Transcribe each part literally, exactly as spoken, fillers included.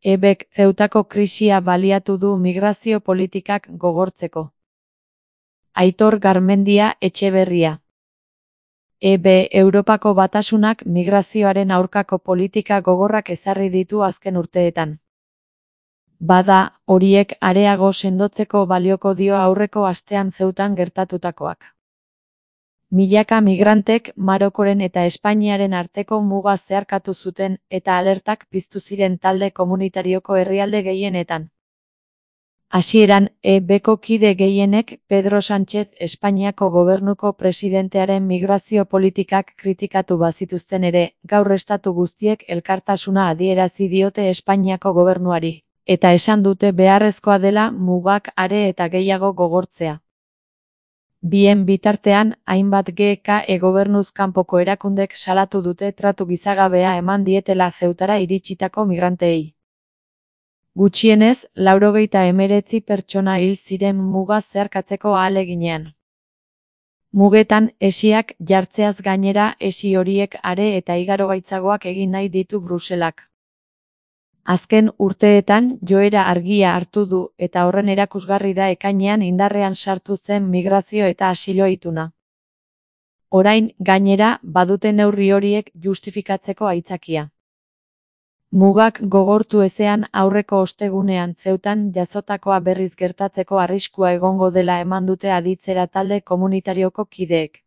E Bk Zeutako krisia baliatu du migrazio politikak gogortzeko. Aitor Garmendia Etxeberria. E B Europako Batasunak migrazioaren aurkako politika gogorrak ezarri ditu azken urteetan. Bada, horiek areago sendotzeko balioko dio aurreko astean Zeutan gertatutakoak. Milaka migrantek Marokoren eta Espainiaren arteko muga zeharkatu zuten eta alertak piztu ziren talde komunitarioko herrialde gehienetan. Hasieran, E Bko kide gehienek Pedro Sánchez Espainiako gobernuko presidentearen migrazio politikak kritikatu bazituzten ere, gaur estatu guztiek elkartasuna adierazi diote Espainiako gobernuari, eta esan dute beharrezkoa dela mugak are eta gehiago gogortzea. Bien bitartean, hainbat G K E gobernuz kanpoko erakundek salatu dute tratu gizagabea eman dietela Zeutara iritsitako migranteei. Gutxienez, laurogeita hemeretzi pertsona hil ziren muga zeharkatzeko ahaleginean. Mugetan, hesiak jartzeaz gainera hesi horiek are eta igaro gaitzagoak egin nahi ditu Bruselak. Azken urteetan joera argia hartu du eta horren erakusgarri da ekainean indarrean sartu zen migrazio eta asilo ituna. Orain, gainera, badute neurri horiek justifikatzeko aitzakia. Mugak gogortu ezean aurreko ostegunean Zeutan jazotakoa berriz gertatzeko arriskua egongo dela eman dute aditzera talde komunitarioko kideek.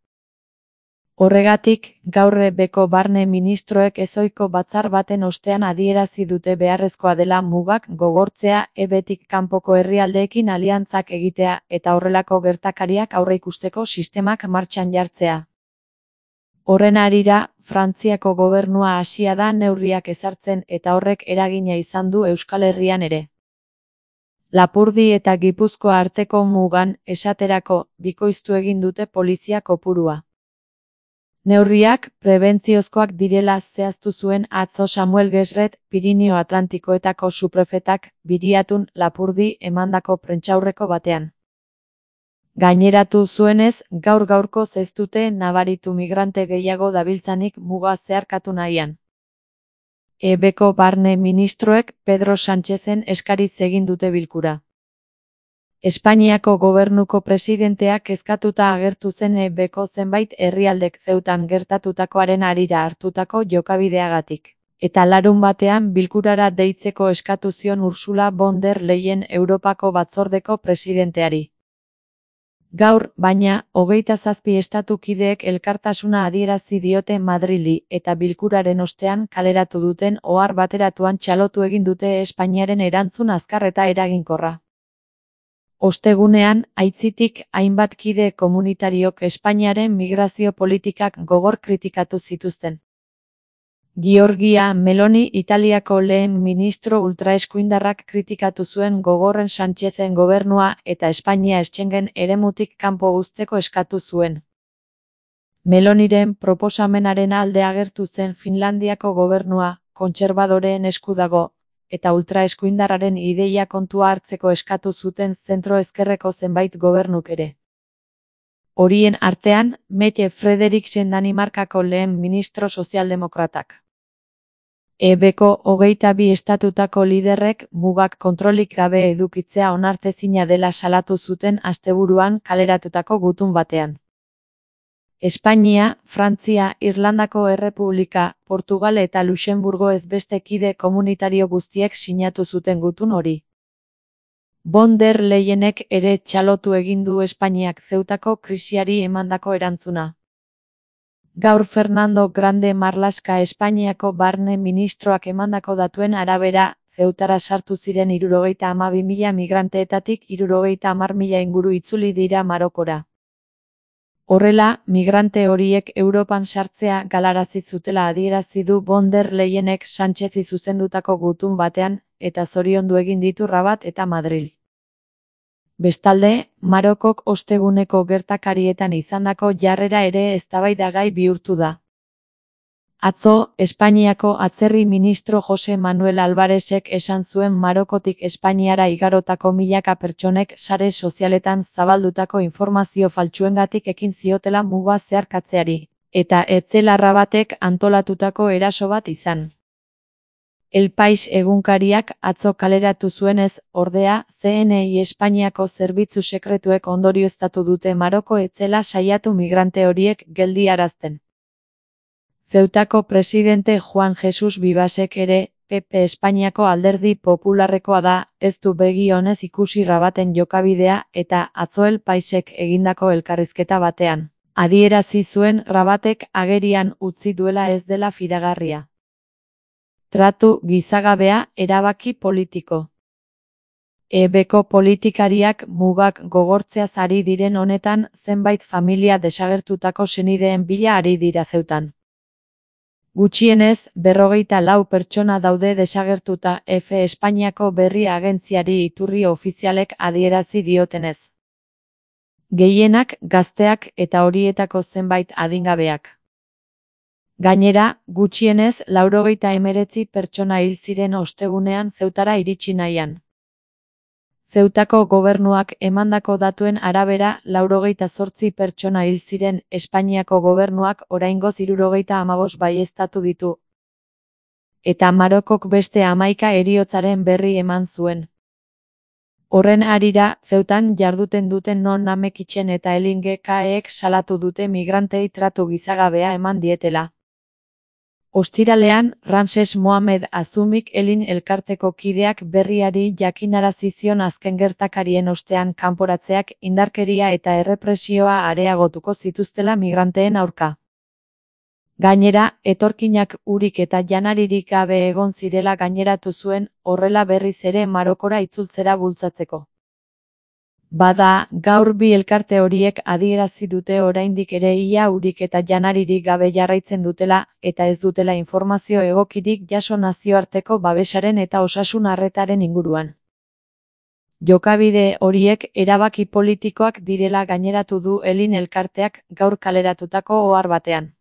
Horregatik, gaur E Bko barne ministroek ezohiko batzar baten ostean adierazi dute beharrezkoa dela mugak gogortzea E Btik kanpoko herrialdeekin aliantzak egitea eta horrelako gertakariak aurreikusteko sistemak martxan jartzea. Horren harira, Frantziako gobernua hasia da neurriak ezartzen eta horrek eragina izan du Euskal Herrian ere. Lapurdi eta Gipuzkoa arteko mugan, esaterako, bikoiztu egin dute polizia kopurua. Neurriak prebentziozkoak direla zehaztu zuen atzo Samuel Gesret, Pirinio Atlantikoetako suprefetak, Biriatun, Lapurdi emandako prentsaurreko batean. Gaineratu zuenez, gaur-gaurko ez dute nabaritu migrante gehiago dabiltzanik muga zeharkatu nahian. E Bko barne ministroek Pedro Sánchezen eskariz egin dute bilkura. Espainiako gobernuko presidenteak kezkatuta agertu zen E Bko zenbait herrialdek Zeutan gertatutakoaren harira hartutako jokabideagatik, eta larun batean bilkurara deitzeko eskatu zion Ursula von der Leyen Europako batzordeko presidenteari. Gaur, baina, hogeita zazpi estatu kideek elkartasuna adierazi diote Madrili eta bilkuraren ostean kaleratu duten ohar bateratuan txalotu egin dute Espainiaren erantzun azkar eta eraginkorra. Ostegunean, aitzitik, hainbat kide komunitariok Espainiaren migrazio politikak gogor kritikatu zituzten. Giorgia Meloni Italiako lehen ministro ultraeskuindarrak kritikatu zuen gogorren Sánchezen gobernua eta Espainia Schengen eremutik kanpo uzteko eskatu zuen. Meloniren proposamenaren alde agertu zen Finlandiako gobernua, kontserbadoreen esku dago, eta ultraeskuindarraren ideia kontua hartzeko eskatu zuten zentro-ezkerreko zenbait gobernuk ere. Horien artean, Mette Frederiksen Danimarkako lehen ministro sozialdemokratak. E Bko hogeita bi estatutako liderrek mugak kontrolik gabe edukitzea onartezina dela salatu zuten asteburuan kaleratutako gutun batean. Espainia, Frantzia, Irlandako Errepublika, Portugal eta Luxenburgo ez beste kide komunitario guztiek sinatu zuten gutun hori. Von der Leyenek ere txalotu egin du Espainiak Zeutako krisiari emandako erantzuna. Gaur Fernando Grande Marlaska Espainiako barne ministroak emandako datuen arabera, Zeutara sartu ziren hirurogeita hamabi mila migranteetatik hirurogeita hamar mila inguru itzuli dira Marokora. Horrela, migrante horiek Europan sartzea galarazi zutela adierazi du von der Leyenek Sánchezi zuzendutako gutun batean, eta zoriondu egin ditu Rabat eta Madril. Bestalde, Marokok osteguneko gertakarietan izandako jarrera ere eztabaidagai bihurtu da. Atzo, Espainiako atzerri ministro Jose Manuel Alvarezek esan zuen Marokotik Espainiara igarotako milaka pertsonek sare sozialetan zabaldutako informazio faltsuengatik ekin ziotela muga zeharkatzeari, eta ez zela Rabatek antolatutako eraso bat izan. El País egunkariak atzo kaleratu zuenez, ordea, C N I Espainiako zerbitzu sekretuek ondorioztatu dute Maroko ez zela saiatu migrante horiek geldiarazten. Zeutako presidente Juan Jesus Vivasek ere, P P Espainiako alderdi popularrekoa da, ez du begi onez ikusi Rabaten jokabidea eta atzo El Paisek egindako elkarrizketa batean. Adierazi zuen Rabatek agerian utzi duela ez dela fidagarria. Tratu gizagabea, erabaki politiko. E Bko politikariak mugak gogortzeaz ari diren honetan zenbait familia desagertutako senideen bila ari dira Zeutan. Gutxienez, berrogeita lau pertsona daude desagertuta F Espainiako berri agentziari iturri ofizialek adierazi diotenez. Gehienak gazteak eta horietako zenbait adingabeak. Gainera, gutxienez laurogeita hemeretzi pertsona hil ziren ostegunean Zeutara iritsi nahian. Zeutako gobernuak emandako datuen arabera laurogeita zortzi pertsona hil ziren, Espainiako gobernuak oraingoz hirurogeita hamabost baieztatu ditu. Eta Marokok beste hamaika heriotzaren berri eman zuen. Horren harira, Zeutan jarduten duten non Namekitzen eta Elin G K ek salatu dute migrantei tratu gizagabea eman dietela. Ostiralean, Ramses Mohamed Azumik Elin elkarteko kideak berriari jakinarazi zion azken gertakarien ostean kanporatzeak indarkeria eta errepresioa areagotuko zituztela migranteen aurka. Gainera, etorkinak urik eta janaririk gabe egon zirela gaineratu zuen, horrela berriz ere Marokora itzultzera bultzatzeko. Bada, gaur bi elkarte horiek adierazi dute oraindik ere ia urik eta janaririk gabe jarraitzen dutela, eta ez dutela informazio egokirik jaso nazioarteko babesaren eta osasun arretaren inguruan. Jokabide horiek erabaki politikoak direla gaineratu du Elin elkarteak gaur kaleratutako ohar batean.